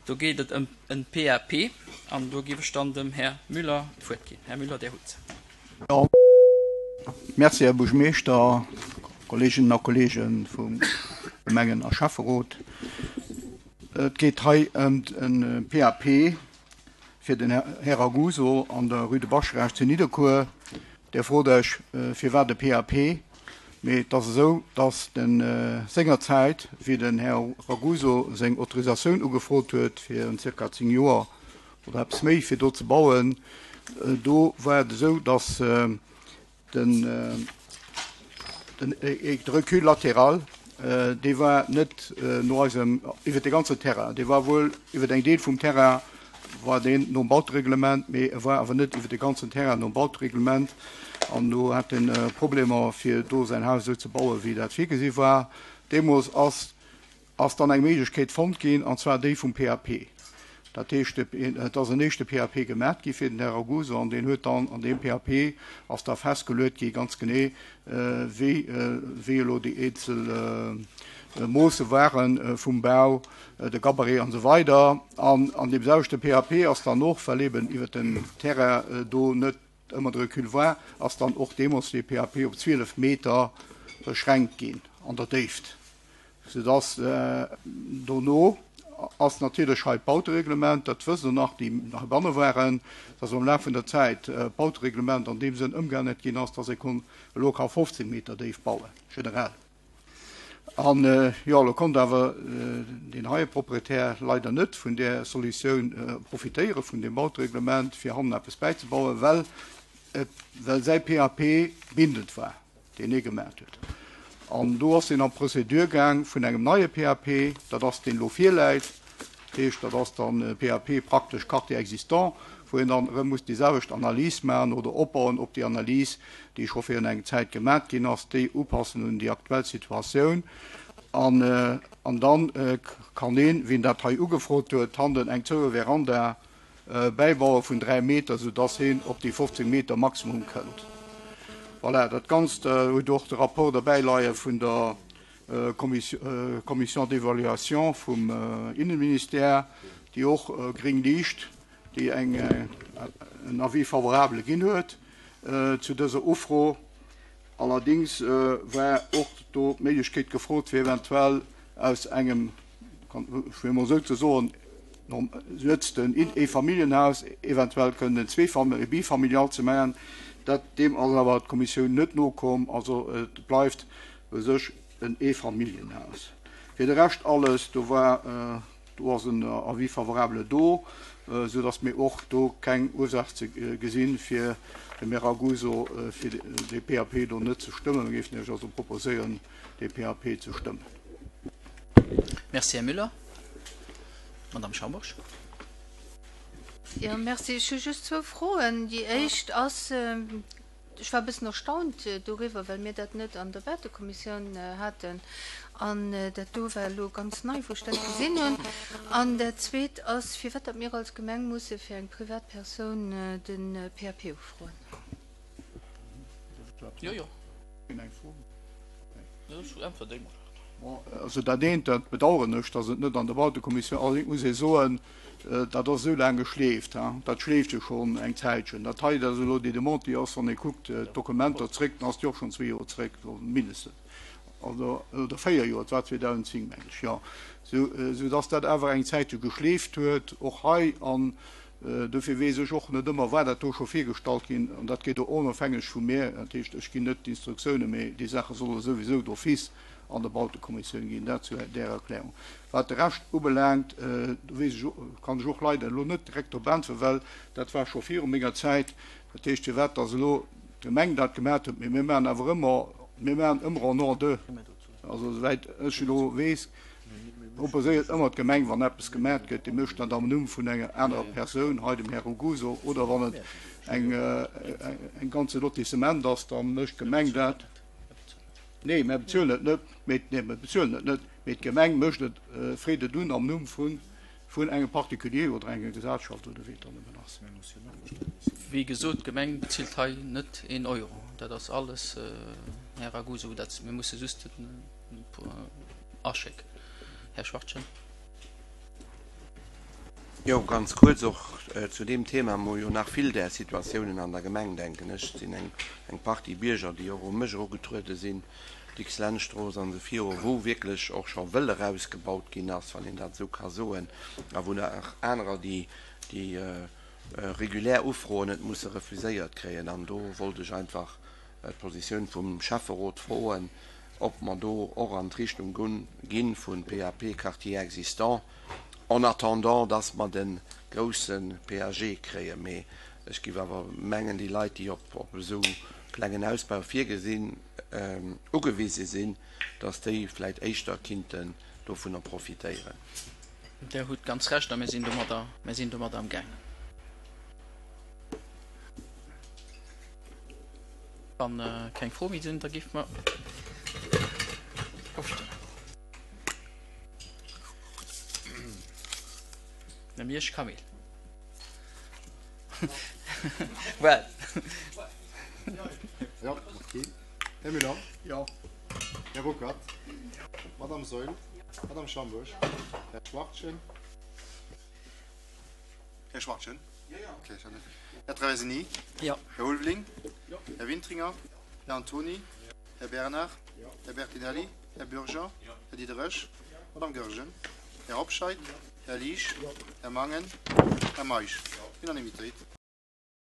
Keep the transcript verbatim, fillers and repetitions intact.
Do geet et ëm en PAP an do géif ech dann dem Här Müller d'Wuert ginn. Här Müller, Dir hutt se. Jo, merci, Här Buergermeeschter, Kolleeginnen a Kolleege vum Gemengen a Schäfferot. Et geet hei ëm e PAP fir den Här Raguso an der Rue de Bascharage zu Nidderkuer. Dir frot Iech, firwat e PAP? Mee et ass esou, datt de sengerzäit, wéi den Här Raguso seng Autorisatioun ugefrot huet fir zirka zéng Joer oder eppes méi, fir do ze bauen, do war et esou, datt den de Recul latéral, dee war net no eisem iwwer de ganzen Terrain, dee war wuel iwwer eng Deel vum Terrain war deen nom Bautereglement, mee e war awer net iwwer de ganzen Terrain nom Bautereglement. An do hat en Problemer, fir do säin Haus esou ze bauen, wéi dat virgesi war. Deemools ass ass dann eng Méiglechkeet fonnt ginn, an zwar déi vum PAP. Dat heescht, et ass en éischte PAP gemat gi fir den Här Raguso, an deen huet dann an deem PAP ass da festgeluet gi ganz genee, wéi wéi elo déi eenzel Moosse ware vum Bau, de Gabarit an esou weider. An an deem selwechte PAP ass dann och, well eben iwwert den Terrain do net ëmmer de Recul war, ass dann och deemools dee PAP op zwielef Meter beschränkt ginn an der Déift, soudass dono ass natierlech hei d'Bautereglement, dat wësst Der nach, déi heibanne waren, dass am Laf vun der Zäit d'Bautereglement an deem Sënn ëmgeännert ginn ass, dass ee konnt elo ka fofzéng Meter déif bauen, generell. An jo, elo konnt awer deen heie Proprietär leider net vun där Solutioun profitéieren, vun deem Bautereglement, fir hannen eppes bäizebauen, well et, well säi PAP bindend war, deen hie gemaacht huet. An do ass en an d'Procédure gaang vun engem neie PAP, dat ass deen elo virläit. Dat heescht, dat ass dann e PAP praktesch Quartier existant, wou een dann erëm muss déi selwecht Analys maachen oder opbauen op déi Analys, déi scho virun eng Zäit gemat ginn ass, déi upassen un déi aktuell Situatioun. An, an dann kann een, wien dat hei ugefrot huet, hannen eng zoue Veranda bäibaue vun dräi Meter, soudass heen op déi fofzéng Meter Maximum kënnt. Voilà, dat Ganzt huet och de Rapport derbäi leie vun der Commission d'évaluation vum Innenministère, déi och gréng Liicht, déi eng en Avis favorable ginn huet zu dëser Ufro. Allerdings war och do d'Méiglechkeet gefrot, fir eventuell aus engem, fir emol esou ze soen, letzten Eefamilljenhaus eventuell kënnen en Zweefam-, e Bifamilial ze maachen. Dat, deem ass awer d'Kommissioun net nokomm. Also et bleift u sech en Eefamilljenhaus. Fir de Rescht alles, do war, do ass en Avis favorable do, soudass mir och do keng Ursaach ze gesinn, fir dem Här Raguso fir dee PAP do net ze stëmmen. Mir géifen Iech also proposéieren, dee PAP ze stëmmen. Merci, Här Müller. Madame Schambourg. Jo, merci. Ech hu just zwou Froen. Déi éischt ass, ech war e bëssen erstaunt doriwwer, well mir dat net an der Bautekommissioun haten an dat do war elo ganz nei, wou ech dat gesinn hunn. An dat Zweet ass, firwat datt mir als Gemeng musse fir eng Privatpersoun de PAP ufroen. Jo, jo. Äntwert déi mol. Bon, also dat eent, dat bedauern ech, datt et net an der Bautekommissioun, allerdéngs muss ee soen, dat ass esou laang geschleeft, hein, dat schleeft jo schonn eng Zäitchen. Dat hei, dat ass elo déi Demande, déi ass, wann ee kuckt d'Dokumenter zréck, dann ass déi och schonn zwee Joer zréck, mindestens, also, oder véier Joer, et war zweedausend zéng, meng ech, jo, sou, soudatt dat awer eng Zäitche geschleeft huet, och hei. An dofir weess ech och net ëmmer, war dat do scho virgestallt ginn, an dat geet och onofhängeg vu mir, dat heescht, ech ginn net d'Instruktiounen, mee déi Saache solle souwisou d'office an der Bautekommissioun ginn. Dat zu där Erklärung. Wat de Rescht ubelaangt, do weess ech, kann ech och leider elo net direkt drop äntweren, well dat war scho viru menger Zäit. Dat heescht, firwat dass elo d'Gemeng dat gemat huet, mee mir maachen awer ëmmer, mir maachen ëmmer en nom de, also esouwäit ech elo weess, proposéiert ëmmer d'Gemeng, wann eppes gemat gëtt, déi mécht dat am Numm vun enger anerer Persoun, hei dem Här Raguso, oder wann et eng eng ganze Lotissement ass, da mécht d'Gemeng dat. Nee, mir bezuelen et net, mee, nee, mir bezuelen et net, mee d'Gemeng mécht et, freet et un am Numm vun, vun engem Particulier oder enger Gesellschaft oder wéi et dann nëmmen ass. Wéi gesot, d'Gemeng bezilt hei net een Euro. Dat ass alles, Här Raguso, dat, mir musse just den aschécken. Här Schwachtgen. Jo, ganz kuerz och zu deem Thema. Mer hu jo nach vill där Situatiounen an der Gemeng, denken ech. Et sinn eng, eng Partie Bierger, déi och u mech erugetruede sinn, Dicks-Lentz-Strooss an esou viru, wou wierklech och scho wëll erausgebaut ginn ass, wann een dat esou ka soen, a wou nach anerer, déi, déi regulär Ufroen et musse refuséiert kréien. An do wollt ech einfach d'Positioun vum Schäfferot froen, ob mer do och an d'Richtung gi vu P A P Quartier existant, en attendant, dass mer de grousse P A G kréien. Mee ech géif awer mengen, déi Leit, déi op op esou klengen Ausbau virgesinn, ugewise sinn, dass déi vläicht éischter kinnten dovunner profitéieren. Der hutt ganz Recht a mir sinn domadder, mir sinn domadder am Gaang. Wann keng Froe méi sinn, da géife mer ofstëmmen. Här Miersch Camille. Well. Ja, okay. Här Müller. Jo. Här Ruckert. Madame Saeul. Madame Schambourg. Här Schwachtgen. Här Schwachtgen. Okay, ich hatte- Här Traversini. Jo. Här Ulveling. Här Wintringer. Här Antoni. Här Bernard. Här Bertinelli. Här Bürger. Här Diderich. Madame Goergen. Här Hobscheit. Här Liesch. Här Mangen. Här Meisch. Unanimitéit.